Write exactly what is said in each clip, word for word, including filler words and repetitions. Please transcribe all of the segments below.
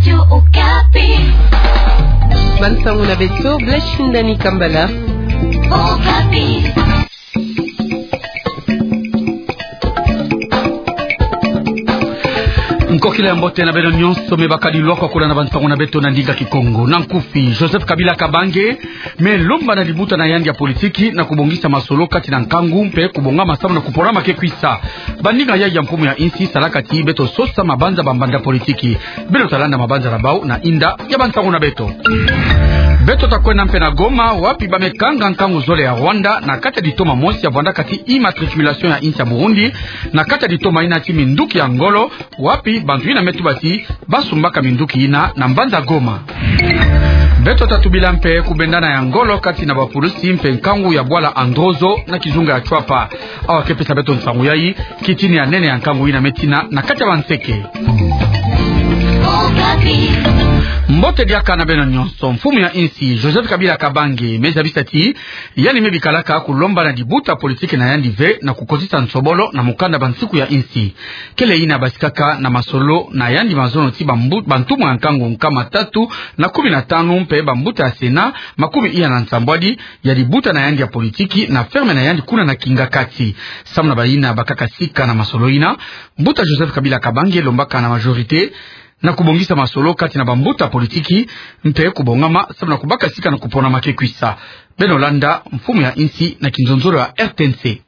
Radio Okapi. Bansango na beto, Blaise Shindani Kambala. Okapi. Nkokila ya mbote na beno nyonso, me bakadi lwaka kolanda bansango na beto na ndinga Kikongo. Na nkufi, Joseph Kabila Kabange me lomba na libuta na yandi ya politiki na kubongisa masolo kati na nkangu mpe kubongama samu na kupona ma ke kwisa. Bandinga ya, ya mfumu ya insi salaka ti beto sosa mabanza bambanda politiki. Beno ta landa mabanza na bau na inda ya bansango na beto. Beto ta kwenda mpe na Goma, wapi ba me kanga nkangu zole ya Rwanda na kati ya litoma mosi ya vwandaka ti immatriculation ya insi ya Burundi, na kati ya litoma ina ti minduki ya ngolo, wapi bantu ina me tuba ti ba sumbaka minduki ina na mbanza Goma. Beto ta tubila mpe kubendana ya ngolo kati na bapulusi mpe nkangu ya bwala Androzo na kizunga ya Chwapa. Awa ke pesa beto nsangu yai, kitini ya nene ya nkangu ina me tina na kati ya banseke. Mbote diaka na beno nyonso. Mfumu ya insi, Joseph Kabila Kabange, me zabisa ti yandi me bikalaka kulomba na libuta politiki na yandi ve na kukotisa nsobolo na mukanda bansiku ya insi. Kele ina basikaka na masolo na yandi mazono ti bambu-, bantumwa ya nkangu nkama tatu na kumi na tanu mpe bambuta ya Sena makumi iya na nsambwadi ya libuta na yandi ya politiki na ferme na yandi kuna na Kingakati. Samu na baina bakaka sika na masolo ina, mbuta Joseph Kabila Kabange lombaka na majorité na kubongisa masolo kati na bambuta politiki mpe kubongama samu na kubaka sika na kupona ma ke kwisa. Beno landa mfumu ya insi na kinzonzolo ya R T N C.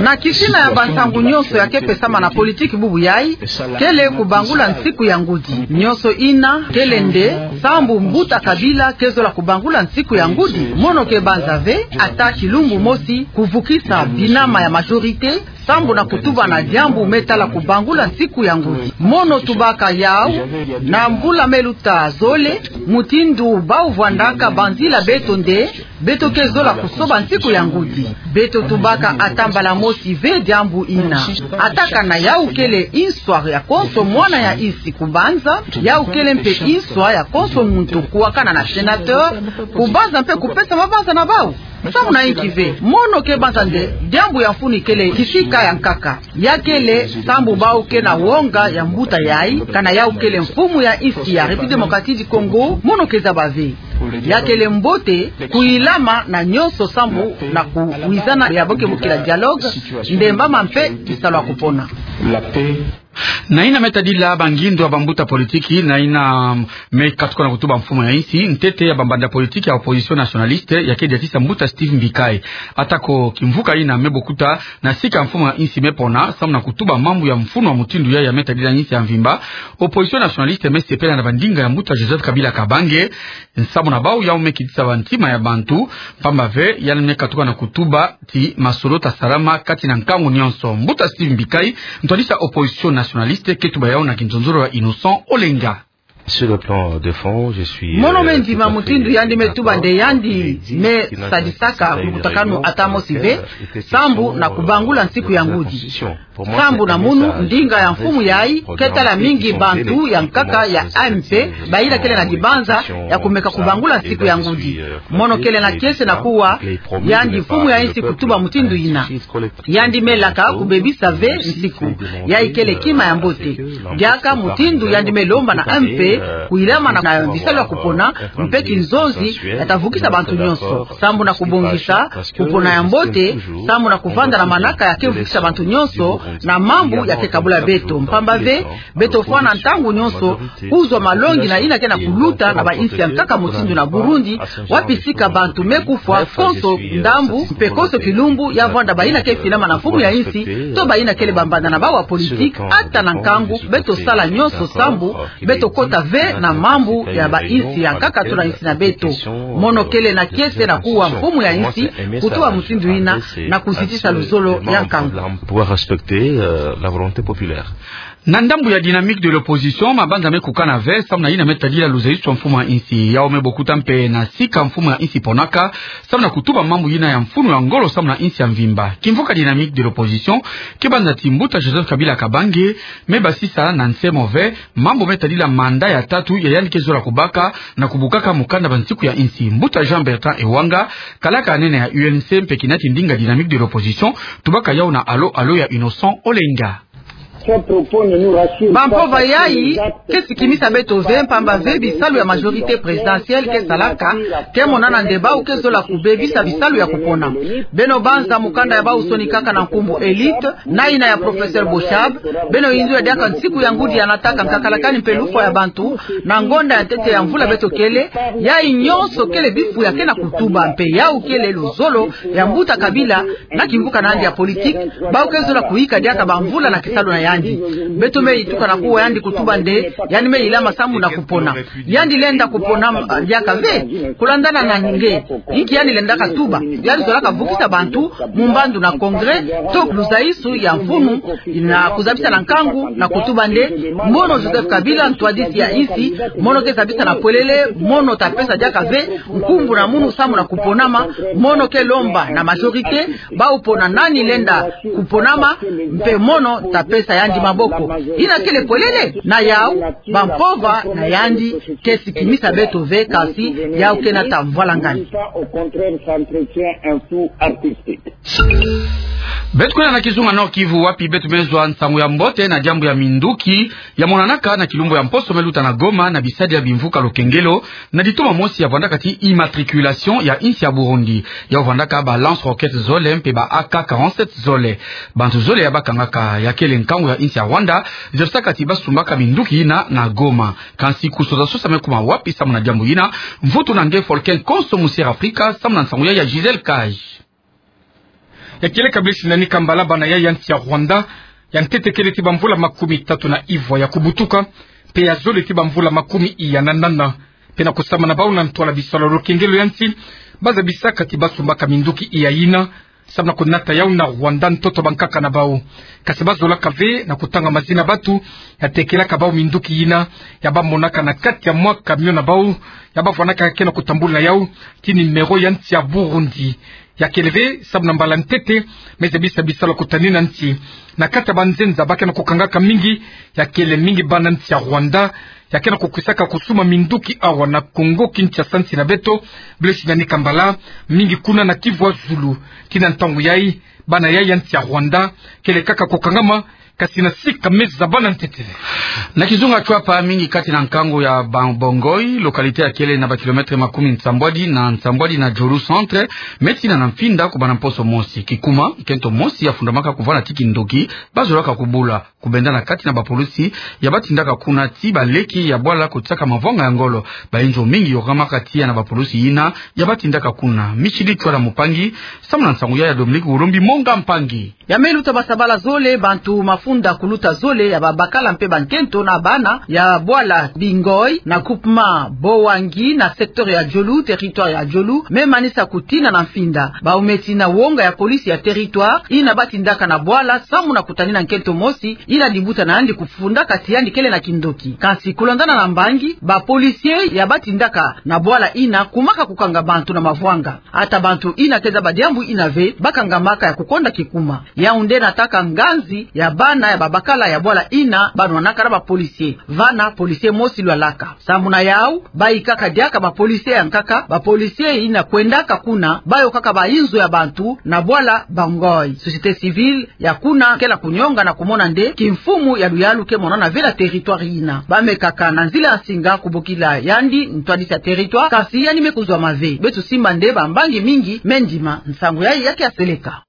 Na kitina ya bansangu nyonso ya ke pesama na politiki bubu yai, kele kubangula nsiku ya ngudi. Nyonso ina kele nde sambu mbuta Kabila ke zola kubangula nsiku ya ngudi. Mono ke banza ve ata kilumbu mosi kuvukisa binama ya majorité sambu na kutuba na diambu me tala kubangula nsiku ya ngudi. Mono tubaka yau na mbula me luta zole, mutindu bau vwandaka banzila beto nde beto ke zola kusoba nsiku ya ngudi. Beto tubaka ata mbala mosi ve diambu ina. Ata kana yau kele inswa ya konso mwana ya insi kubanza, yau kele mpe inswa ya konso muntu kuwakana na sénateur, kubanza mpe kupesa mabanza na bau. Samu na inki ve? Mono ke banza nde diambu ya mfunu kele kisika ya nkaka. Ya kele sambu bau ke na wonga ya mbuta yai, kana yau kele mfumu ya insi ya République Démocratique du Congo, mono ke zaba ve. Ya kele mbote kuilama na nyonso sambu na kuwizana ya bo ke bokila dialogue, nde mbama mpe kisalu ya kupona. Na ina me tadila bangindu ya bambuta politiki, na ina me katuka na kutuba mfumu ya insi, ntete ya bambanda politiki ya opposition nationaliste ya ke diatisa mbuta Steve Mbikayi. Atako kimvuka ina me bokuta na sika mfumu ya insi me pona, samu na kutuba mambu ya mfunu ya mutindu yai ya me tadila insi ya mvimba, opposition nationaliste me sepela na bandinga ya mbuta Joseph Kabila Kabange, samu na bau yau me kitisa bantima ya bantu, mpamba ve yandi me katuka na kutuba ti masolo ta salama kati na nkangu nyonso. Mbuta Steve Mbikayi, ntwadisa opposition nationaliste, ke tuba yau na kinzonzolo ya Innocent Olenga. Sur le plan de fond, je suis, euh, tout à fait d'accord avec, euh, la position de Joseph Kabila. Mono me ndima mutindu yandi me tuba nde yandi me sadisaka lukutakanu ata mosi ve, sambu na kubangula nsiku ya ngudi. Sambu na munu, ndinga ya mfumu yai ke tala mingi bantu ya nkaka ya A M P, bayina kele na dibanza ya kumeka kubangula nsiku ya ngudi. Mono kele na kiese na kuwa yandi mfumu ya insi kutuba mutindu yina. Yandi me laka kubebisa ve nsiku. Yai kele kima ya mbote. Diaka mutindu yandi me lomba na A M P kuilama na, na bisalu ya kupona, mpe kinzonzi ya ta vukisa bantu nyonso. Sambu na kubongisa kupona ya mbote, sambu na kuvanda na manaka ya ke vukisa bantu nyonso, na mambu ya ke kabula beto. Mpamba ve, beto fwana ntangu nyonso kuzwa malongi na yina ke na kuluta na bainsi ya nkaka mutindu na Burundi, wapi sika bantu me kufwa konso ndambu, mpe konso kilumbu, ya vwanda bayina ke finama na mfumu ya insi, to bayina kele bambanda na bau ya politiki, ata na nkangu, beto sala nyonso sambu beto kota ve na mambu ya bainsi ya nkaka to na insi na beto. Mono kele na kiese na kuwa mfumu ya insi kutuba mutindu yina na kuzitisa luzolo ya nkangu. Pouvoir respecter, euh, la volonté populaire. Na ndambu ya dynamique de l'opposition, mabanza me kukana ve samu na yina me tadila luzayiswa mfumu ya insi. Yau me bokuta mpe na sika mfumu ya insi ponaka, samu na kutuba mambu yina ya mfunu ya ngolo samu na insi ya mvimba. Kimvuka dynamique de l'opposition ke banza ti mbuta Joseph Kabila Kabange me basisa na nsemo ve mambu me tadila mandat ya tatu ya yandi ke zola kubaka na kubukaka mukanda bansiku ya insi. Mbuta Jean Bertrand Ewanga, kalaka nene ya U N C mpe kinati ndinga dynamique de l'opposition, tubaka yau na Allô Allô ya Innocent Olenga. Bampova yayi ke sikimisa beto ve, mpamba ve bisalu ya majorité présidentielle ke salaka ke monana nde bau ke zola kubebisa bisalu ya kupona. Beno banza mukanda ya bau sonikaka na nkumbu élite, na yina ya professeur Boshab, beno yindu ya diaka nsiku ya ngudi ya nataka nkakalakani mpe lufwa ya bantu, na ngonda ya ntete ya mvula beto kele, yayi nyonso kele bifu ya ke na kutuba mpe yau kele luzolo ya mbuta Kabila, na kimvuka na yandi ya politique, bau ke zola kuyika diaka bamvula na kisalu na yandi. Beto me yituka na kuwa yandi kutuba nde, yandi me yilama samu na kupona. Yandi lenda kupona, ah, diaka ve, kulandana na nge, inki yandi lendaka tuba, yandi zolaka vukisa bantu, mu mbandu na congrès, to luzaisu ya mfunu, na kuzabisa na nkangu, na kutuba nde, mono Joseph Kabila, ntwadisi ya insi, mono ke zabisa na pwelele, mono ta pesa diaka ve nkumbu na munu samu na kuponama, mono ke lomba na majorité, bau pona nani lenda kuponama, mpe mono ta pesa yandi maboko. Yina kele pwelele, na yau, bampova na yandi ke sikimisa beto ve, kasi yau ke nata mvwalangani. Beto kwenda na kizunga Nord-Kivu, wapi beto me zwa nsangu ya mbote na diambu ya minduki ya monanaka na kilumbu ya mposo me luta na Goma na bisadi ya bimvuka lokengelo, na ditoma mosi ya vwandaka ti immatriculation ya insi ya Burundi. Yau vwandaka ba lance-roquettes zole mpe ba A K quarante-sept zole. Bantu zole ya bakangaka ya kele nkangu ya insi ya Rwanda, zabisaka ti basumbaka minduki yina na Goma. Kansi kusosasosa me kuma wapi samu na diambu yina? Mvutu na nge Folken Konso, Musier Afrika, samu na nsangu ya ya Gisèle Kaj. Ya kieleka Blaise Nani Kambala, bana ya ya nsi ya Rwanda, ya ntete kele ti bamvula makumi tatu na ivwa ya kubutuka, mpe ya zole ti bamvula makumi iya na nana. Mpe na kusambana na bau na ntwala bisalu ya lokengelo ya nsi, bazabisaka ti basumbaka minduki iya yina, samu na kunata yau na Rwanda, ntoto bankaka na bau. Kasi bazolaka ve na kutanga mazina bantu ya tekelaka bau minduki yina, ya bamonaka na kati ya mwa camion na bau, ya bavwandaka ke na kutambula yau ti numéro ya nsi ya Burundi. Ya kele ve samu na mbala ntete me zabisa bisalu ya kutanina nsi na kati ya banzenza ba ke na kukangaka mingi, ya kele mingi bana nsi ya Rwanda ya ke na kukisaka kusuma minduki awa na Kongo Kinshasa, nsi na beto. Blaise Nani Kambala, mingi kuna na Kivu ya zulu. Tii na ntangu yayi, bana ya ya nsi ya Rwanda kele kaka kukangama, kasi na sika me zabana ntete. Na kizunga Tshuapa, mingi kati na nkangu ya Ba-, Bangui, localité ya kele na ba kilomètre makumi nsambwadi na nsambwadi na Djolu centre, me tina na Mfinda, kubanda mposo mosi. Kikuma, nkento mosi ya fundamaka kuvwanda ti kindoki, bazolaka kubula. Kubenda na kati na bapulusi ya batindaka kuna ti baleki ya bwala kotiaka mavwanga ya ngolo. Bayinzo mingi yokamaka tiya na bapulusi yina ya batindaka kuna. Michidi Tshuala Mupangi, samu na nsangu ya ya Dominique Wulumbi Monga Mpangi. Ya me luta basabala zole, bantu mafunda kuluta zole ya babakala mpe bankento na bana ya bwala Bangui na groupement Boangi na secteur ya Djolu, territoire ya Djolu, me manisa kutina na Mfinda. Bau me tina wonga ya police ya territoire yina batindaka na bwala samu na kutanina nkento mosi yina dibuta na yandi kufundaka ti yandi kele na kindoki. Kansi kulandana na mbangi, ba policiers ya batindaka na bwala yina kumaka kukanga bantu na mavwanga. Ata bantu yina ke zaba diambu yina ve, bakangamaka ya kukonda kikuma. Yau nde nataka nganzi ya bana ya babakala ya bwala yina banwanaka na ba policiers. Vana policier mosi lwalaka. Sambu na yau, bayikaka diaka ba policiers ya nkaka, ba policiers yina kwendaka kuna, bayokaka bayinzo ya bantu na bwala Bangui. Société civile ya kuna kele kunyonga na kumona nde kimfumu ya luyalu ke monana ve na territoire yina. Bamekaka na nzila ya nsinga kubokila yandi ntwadisi ya territoire, kasi yandi me kuzwama ve. Beto simba nde bambangi mingi me ndima nsangu yayi ya ke ya seleka.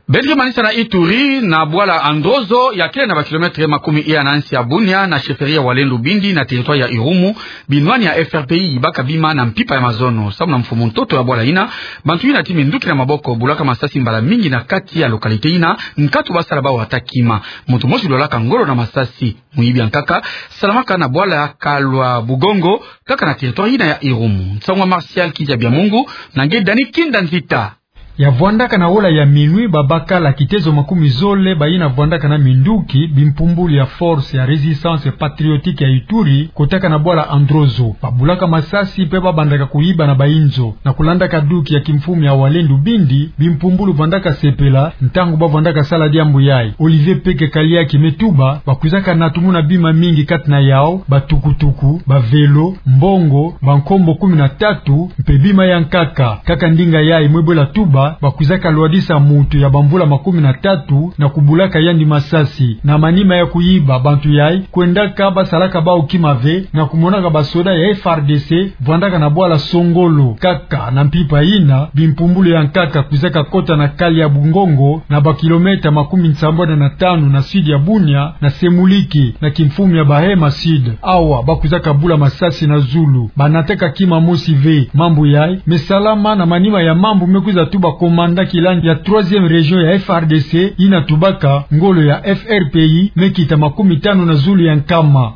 Beto ke manisa na Ituri, na bwala Androzo, ya kele na ba kilomètre makumi iya na nsi ya Bunia, na chefferie ya Walendu Bindi, na territoire ya Irumu, binwani ya F R P I yibaka bima na mpimpa ya mazono. Samu na mfumu ntoto ya bwala yina, bantu yina ti minduki na maboko bulaka masasi mbala mingi na kati ya localité yina, nkatu basala bau ata kima. Muntu mosi lwalaka ngolo na masasi. Muyibi ya nkaka salamaka na bwala Kalwa Bugongo, kaka na territoire yina ya Irumu. Nsangu ya Martial Kidia Biamungu, na nge Dani Kinda Nzita. Ya vwandaka na ola ya minuit, babakala kitezo makumi zole bayina vwandaka na minduki, bimpumbulu ya Force ya Résistance Patriotique ya Ituri, kotaka na bwala Androzo. Babulaka masasi mpe babandaka kuyiba na bayinzo. Na kulandaka duki ya kimfumu ya Walendu Bindi, bimpumbulu vwandaka sepela ntangu bavwandaka sala diambu yayi. Olivier Peke Kaliaki me tuba, bakwizaka natumuna bima mingi, kati na yau, batukutuku, ba vélo, mbongo, bankombo kumi na tatu, mpe bima ya nkaka. Kaka ndinga yayi mwe bwela tuba, bakwizaka lwadisa muntu ya bamvula makumina tatu na kubulaka yandi masasi. Na manima ya kuyiba, bantu yayi kwendaka basalaka bawu kima ve na kumonaka basoda ya F R D C vwandaka na bwala Songolo. Kaka na mpimpa yina, bimpumbulu ya nkaka kwizaka kota na kali ya Bungongo, na bakilomètre makumi nsambwadi na tanu na sud ya Bunia, na Semuliki, na kimfumu ya Bahema Sud. Awa bakwizaka bula masasi na zulu, banataka kima mosi ve. Mambu yayi me salama na manima ya mambu me kwiza tuba commandant kilandi ya troisième région ya F R D C, yina tubaka ngolo ya F R P I me kita makumi tanu na zulu ya nkama.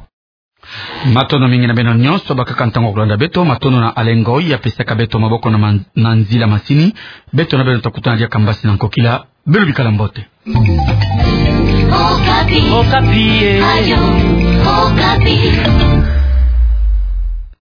Matondo mingi na beno nyonso bakaka ntangu ya kulanda beto. Matondo na Alain Ngoy ya pesaka beto maboko na man-, na nzila masini. Beto na beno ta kutana diaka mbasi na nkokila. Beno bikala mbote. Okapi. Okapi, eh. Radio Okapi.